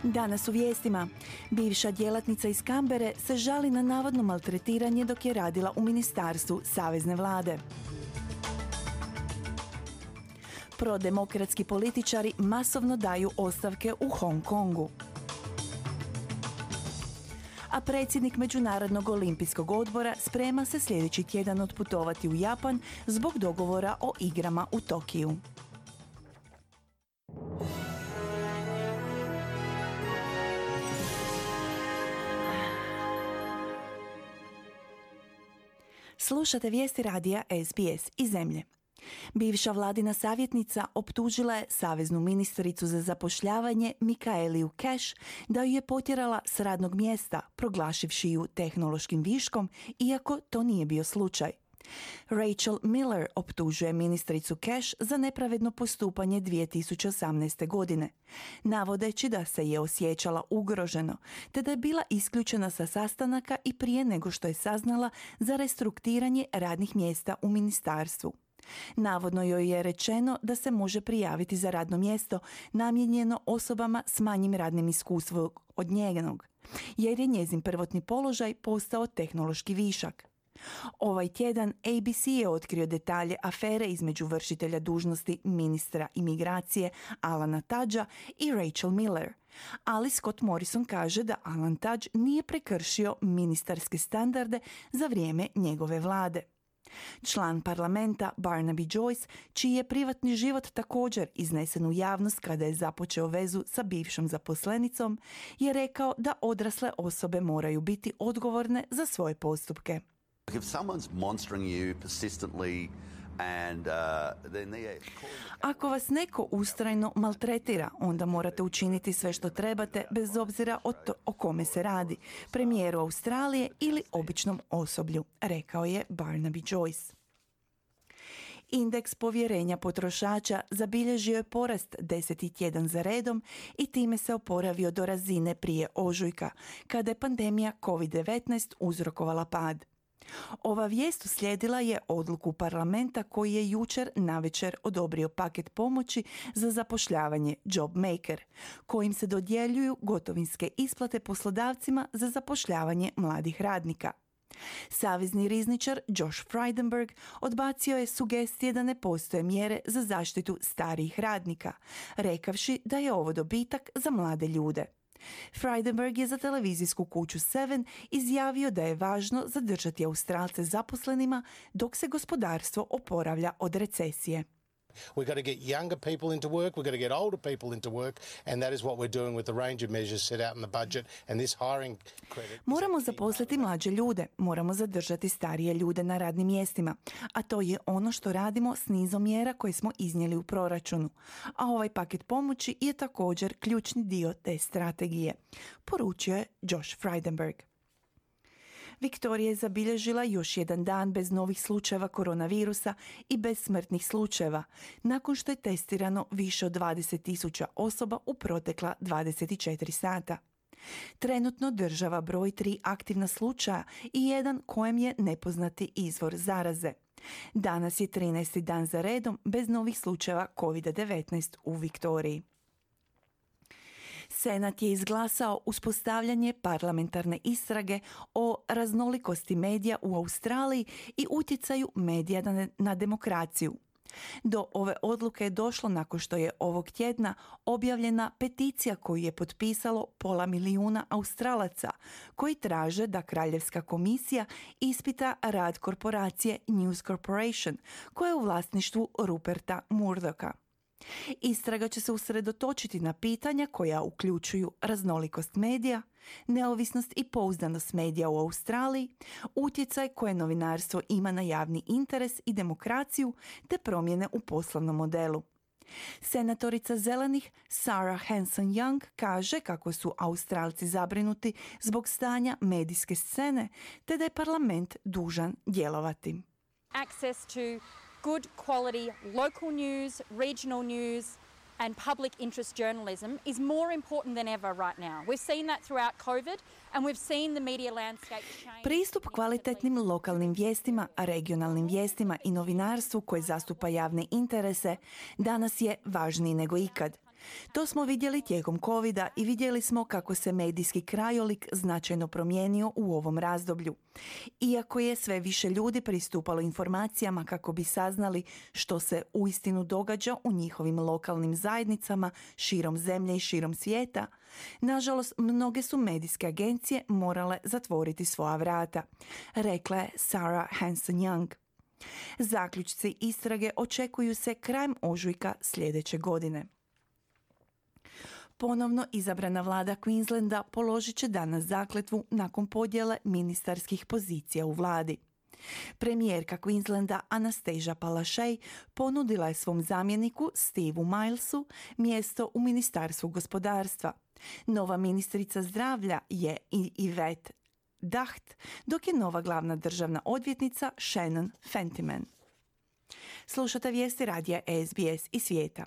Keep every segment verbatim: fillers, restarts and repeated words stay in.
Danas u vijestima. Bivša djelatnica iz Kambere se žali na navodno maltretiranje dok je radila u ministarstvu savezne vlade. Prodemokratski političari masovno daju ostavke u Hong Kongu. A predsjednik Međunarodnog olimpijskog odbora sprema se sljedeći tjedan otputovati u Japan zbog dogovora o igrama u Tokiju. Slušate vijesti radija S B S iz zemlje. Bivša vladina savjetnica optužila je saveznu ministricu za zapošljavanje Michaeliju Cash da ju je potjerala s radnog mjesta, proglašivši ju tehnološkim viškom, iako to nije bio slučaj. Rachel Miller optužuje ministricu Cash za nepravedno postupanje dvije tisuće osamnaeste. godine, navodeći da se je osjećala ugroženo, te da je bila isključena sa sastanaka i prije nego što je saznala za restrukturiranje radnih mjesta u ministarstvu. Navodno joj je rečeno da se može prijaviti za radno mjesto namijenjeno osobama s manjim radnim iskustvom od njenog, jer je njezin prvotni položaj postao tehnološki višak. Ovaj tjedan A B C je otkrio detalje afere između vršitelja dužnosti ministra imigracije Alana Tudgea i Rachel Miller, ali Scott Morrison kaže da Alan Tudge nije prekršio ministarske standarde za vrijeme njegove vlade. Član parlamenta Barnaby Joyce, čiji je privatni život također iznesen u javnost kada je započeo vezu sa bivšom zaposlenicom, je rekao da odrasle osobe moraju biti odgovorne za svoje postupke. If someone's monstering you persistently and uh, then they... Ako vas neko ustrajno maltretira, onda morate učiniti sve što trebate bez obzira o, to, o kome se radi, premijeru Australije ili običnom osoblju, rekao je Barnaby Joyce. Indeks povjerenja potrošača zabilježio je porast deseti tjedan za redom i time se oporavio do razine prije ožujka, kada je pandemija covid devetnaest uzrokovala pad. Ova vijest uslijedila je odluku parlamenta koji je jučer navečer odobrio paket pomoći za zapošljavanje Job Maker, kojim se dodjeljuju gotovinske isplate poslodavcima za zapošljavanje mladih radnika. Savezni rizničar Josh Frydenberg odbacio je sugestije da ne postoje mjere za zaštitu starijih radnika, rekavši da je ovo dobitak za mlade ljude. Frydenberg je za televizijsku kuću Seven izjavio da je važno zadržati Australce zaposlenima dok se gospodarstvo oporavlja od recesije. We've got to get younger people into work, we've got to get older people into work, and that is what we're doing with the range of measures set out in the budget and this hiring credit. Moramo zaposliti mlađe ljude, moramo zadržati starije ljude na radnim mjestima, a to je ono što radimo s nizom mjera koje smo iznijeli u proračunu. A ovaj paket pomoći je također ključni dio te strategije, poručio je Josh Frydenberg. Viktorija je zabilježila još jedan dan bez novih slučajeva koronavirusa i bez smrtnih slučajeva, nakon što je testirano više od dvadeset tisuća osoba u protekla dvadeset četiri sata. Trenutno država broj tri aktivna slučaja i jedan kojem je nepoznati izvor zaraze. Danas je trinaesti dan za redom bez novih slučajeva covid devetnaest u Viktoriji. Senat je izglasao uspostavljanje parlamentarne istrage o raznolikosti medija u Australiji i utjecaju medija na, na demokraciju. Do ove odluke je došlo nakon što je ovog tjedna objavljena peticija koju je potpisalo pola milijuna Australaca, koji traže da Kraljevska komisija ispita rad korporacije News Corporation, koja je u vlasništvu Ruperta Murdocha. Istraga će se usredotočiti na pitanja koja uključuju raznolikost medija, neovisnost i pouzdanost medija u Australiji, utjecaj koje novinarstvo ima na javni interes i demokraciju, te promjene u poslovnom modelu. Senatorica zelenih Sarah Hanson-Young kaže kako su Australci zabrinuti zbog stanja medijske scene, te da je parlament dužan djelovati. Access to good quality local news, regional news and public interest journalism is more important than ever right now. We've seen that throughout COVID and we've seen the media landscape change. Pristup kvalitetnim lokalnim vijestima, regionalnim vijestima i novinarstvu koje zastupa javne interese danas je važniji nego ikad. To smo vidjeli tijekom covida i vidjeli smo kako se medijski krajolik značajno promijenio u ovom razdoblju. Iako je sve više ljudi pristupalo informacijama kako bi saznali što se uistinu događa u njihovim lokalnim zajednicama širom zemlje i širom svijeta, nažalost mnoge su medijske agencije morale zatvoriti svoja vrata, rekla je Sarah Hanson-Young. Zaključci istrage očekuju se krajem ožujka sljedeće godine. Ponovno izabrana vlada Queenslanda položit će danas zakletvu nakon podjele ministarskih pozicija u vladi. Premijerka Queenslanda Anastasia Palaszczuk ponudila je svom zamjeniku Steveu Milesu mjesto u Ministarstvu gospodarstva. Nova ministrica zdravlja je Yvette Dacht, dok je nova glavna državna odvjetnica Shannon Fentiman. Slušate vijesti radija S B S i svijeta.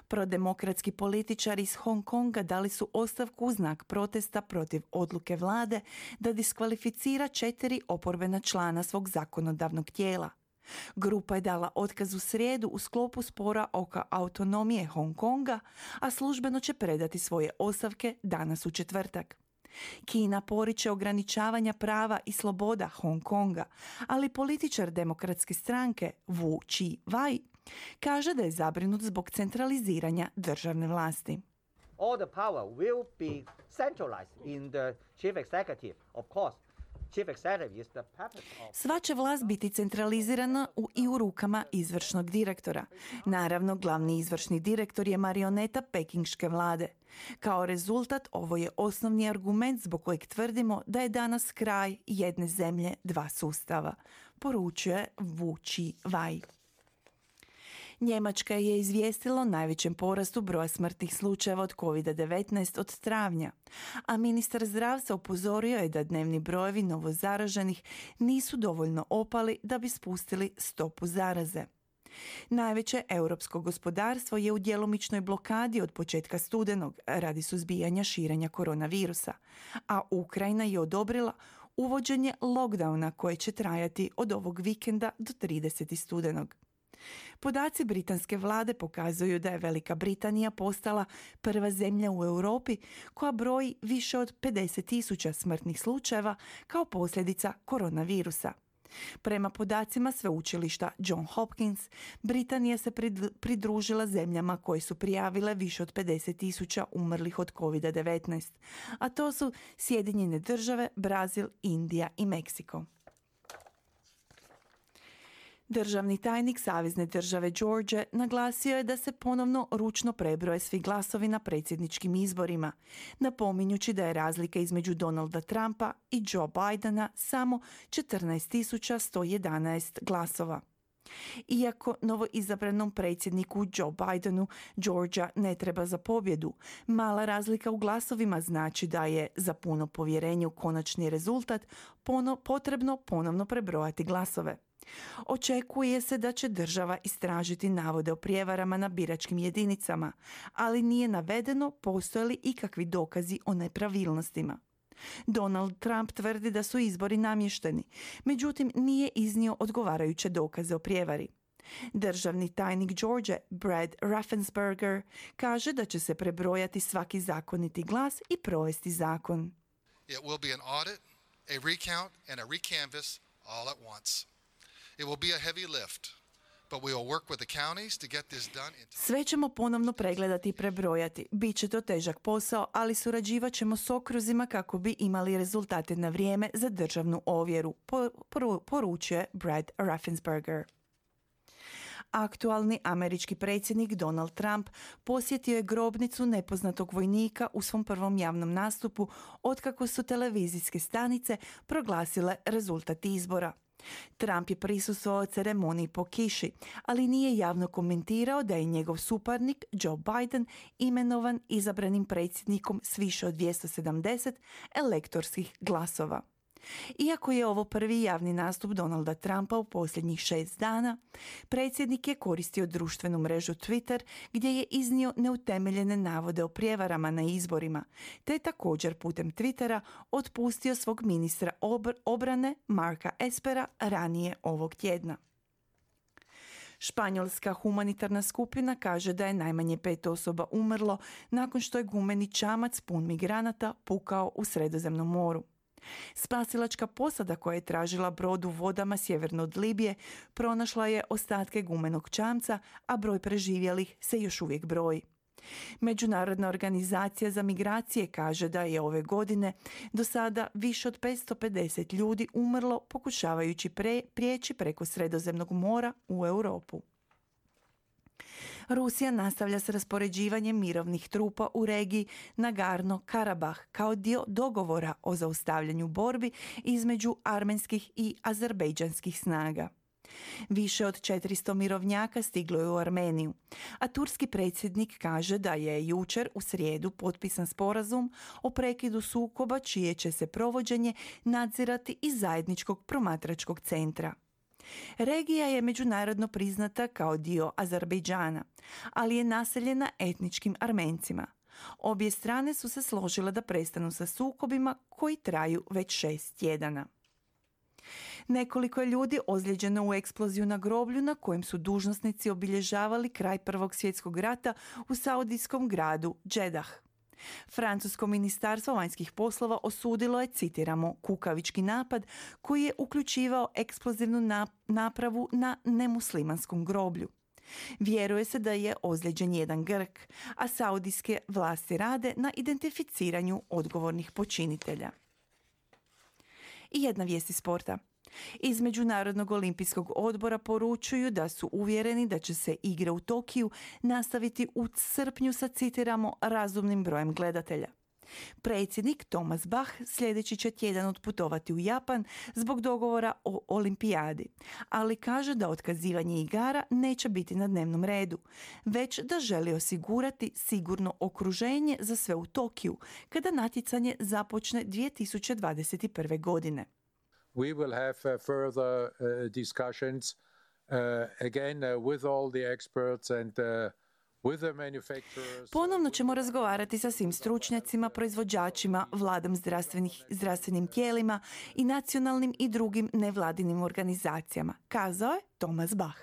Prodemokratski političari iz Hong Konga dali su ostavku u znak protesta protiv odluke vlade da diskvalificira četiri oporbena člana svog zakonodavnog tijela. Grupa je dala otkaz u srijedu u sklopu spora oko autonomije Hong Konga, a službeno će predati svoje ostavke danas u četvrtak. Kina poriče ograničavanja prava i sloboda Hong Konga, ali političar demokratske stranke Wu Chi-wai kaže da je zabrinut zbog centraliziranja državne vlasti. All the power will be centralized in the chief executive, of course. Chief executive is the puppet of... Sva će vlast biti centralizirana u, i u rukama izvršnog direktora. Naravno, glavni izvršni direktor je marioneta pekingške vlade. Kao rezultat, ovo je osnovni argument zbog kojeg tvrdimo da je danas kraj jedne zemlje, dva sustava, poručuje Wu Chi-wai. Njemačka je izvijestila o najvećem porastu broja smrtnih slučajeva od kovid devetnaest od travnja, a ministar zdravstva upozorio je da dnevni brojevi novozaraženih nisu dovoljno opali da bi spustili stopu zaraze. Najveće europsko gospodarstvo je u djelomičnoj blokadi od početka studenog radi suzbijanja širenja koronavirusa, a Ukrajina je odobrila uvođenje lockdowna koje će trajati od ovog vikenda do tridesetog studenog. Podaci britanske vlade pokazuju da je Velika Britanija postala prva zemlja u Europi koja broji više od pedeset tisuća smrtnih slučajeva kao posljedica koronavirusa. Prema podacima sveučilišta John Hopkins, Britanija se pridružila zemljama koje su prijavile više od pedeset tisuća umrlih od kovid devetnaest, a to su Sjedinjene države, Brazil, Indija i Meksiko. Državni tajnik Savezne države Georgia naglasio je da se ponovno ručno prebroje svi glasovi na predsjedničkim izborima, napominjući da je razlika između Donalda Trumpa i Joe Bidena samo četrnaest tisuća sto jedanaest glasova. Iako novoizabranom predsjedniku Joe Bidenu Georgia ne treba za pobjedu, mala razlika u glasovima znači da je za puno povjerenje u konačni rezultat pono, potrebno ponovno prebrojati glasove. Očekuje se da će država istražiti navode o prijevarama na biračkim jedinicama, ali nije navedeno postoje li ikakvi dokazi o nepravilnostima. Donald Trump tvrdi da su izbori namješteni, međutim nije iznio odgovarajuće dokaze o prijevari. Državni tajnik Georgia Brad Raffensperger kaže da će se prebrojati svaki zakoniti glas i provesti zakon. It will be an audit, a recount and a recanvass all at once. It will be a heavy lift, but we will work with the counties to get this done. Sve ćemo ponovno pregledati i prebrojati. Biće to težak posao, ali surađivat ćemo s okruzima kako bi imali rezultate na vrijeme za državnu ovjeru, poručuje Brad Raffensperger. Aktualni američki predsjednik Donald Trump posjetio je grobnicu nepoznatog vojnika u svom prvom javnom nastupu otkako su televizijske stanice proglasile rezultat izbora. Trump je prisustvovao ceremoniji po kiši, ali nije javno komentirao da je njegov suparnik Joe Biden imenovan izabranim predsjednikom s više od dvjesto sedamdeset elektorskih glasova. Iako je ovo prvi javni nastup Donalda Trumpa u posljednjih šest dana, predsjednik je koristio društvenu mrežu Twitter gdje je iznio neutemeljene navode o prijevarama na izborima, te je također putem Twittera otpustio svog ministra obr- obrane Marka Espera ranije ovog tjedna. Španjolska humanitarna skupina kaže da je najmanje pet osoba umrlo nakon što je gumeni čamac pun migranata pukao u Sredozemnom moru. Spasilačka posada koja je tražila brod u vodama sjeverno od Libije pronašla je ostatke gumenog čamca, a broj preživjelih se još uvijek broji. Međunarodna organizacija za migracije kaže da je ove godine do sada više od petsto pedeset ljudi umrlo pokušavajući pre, prijeći preko Sredozemnog mora u Europu. Rusija nastavlja s raspoređivanjem mirovnih trupa u regiji Nagorno-Karabah kao dio dogovora o zaustavljanju borbi između armenskih i azerbejdžanskih snaga. Više od četiristo mirovnjaka stiglo je u Armeniju, a turski predsjednik kaže da je jučer u srijedu potpisan sporazum o prekidu sukoba čije će se provođenje nadzirati iz zajedničkog promatračkog centra. Regija je međunarodno priznata kao dio Azerbejdžana, ali je naseljena etničkim Armencima. Obje strane su se složile da prestanu sa sukobima koji traju već šest tjedana. Nekoliko je ljudi ozlijeđeno u eksploziju na groblju na kojem su dužnosnici obilježavali kraj Prvog svjetskog rata u saudijskom gradu Džedah. Francusko ministarstvo vanjskih poslova osudilo je, citiramo, kukavički napad koji je uključivao eksplozivnu napravu na nemuslimanskom groblju. Vjeruje se da je ozlijeđen jedan Grk, a saudijske vlasti rade na identificiranju odgovornih počinitelja. I jedna vijest iz sporta. Iz Međunarodnog olimpijskog odbora poručuju da su uvjereni da će se igre u Tokiju nastaviti u srpnju sa, citiramo, razumnim brojem gledatelja. Predsjednik Thomas Bach sljedeći će tjedan otputovati u Japan zbog dogovora o olimpijadi, ali kaže da otkazivanje igara neće biti na dnevnom redu, već da želi osigurati sigurno okruženje za sve u Tokiju kada natjecanje započne dvije tisuće dvadeset prve. godine. We will have uh, further uh, discussions uh, again uh, with all the experts and uh, with the manufacturers. Ponovno ćemo razgovarati sa svim stručnjacima, proizvođačima, vladom zdravstvenih, zdravstvenim tijelima i nacionalnim i drugim nevladinim organizacijama, kazao je Thomas Bach.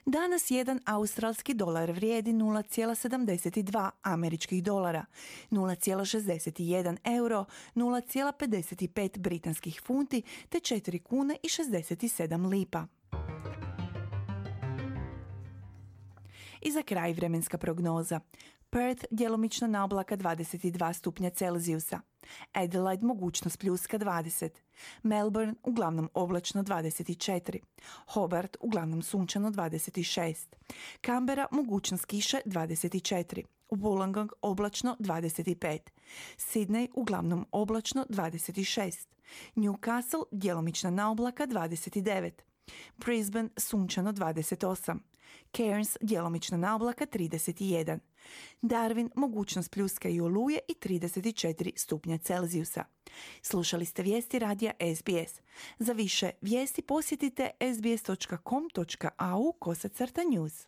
Danas jedan australski dolar vrijedi nula zarez sedamdeset dva američkih dolara, nula zarez šezdeset jedan euro, nula zarez pedeset pet britanskih funti te četiri kune i šezdeset sedam lipa. I za kraj vremenska prognoza. Perth djelomično na oblaka dvadeset dva stupnja Celzijusa. Adelaide mogućnost pljuska dvadeset. Melbourne uglavnom oblačno dvadeset četiri. Hobart uglavnom sunčano dvadeset šest. Canberra mogućnost kiše dvadeset četiri. Wollongong oblačno dvadeset pet. Sydney uglavnom oblačno dvadeset šest. Newcastle djelomična na oblaka dvadeset devet. Brisbane sunčano dvadeset osam. Cairns djelomično na oblaka trideset jedan. Darwin mogućnost pljuska i oluje i trideset četiri stupnja Celzijusa. Slušali ste vijesti radija S B S. Za više vijesti posjetite s b s dot com dot a u kosacrta news.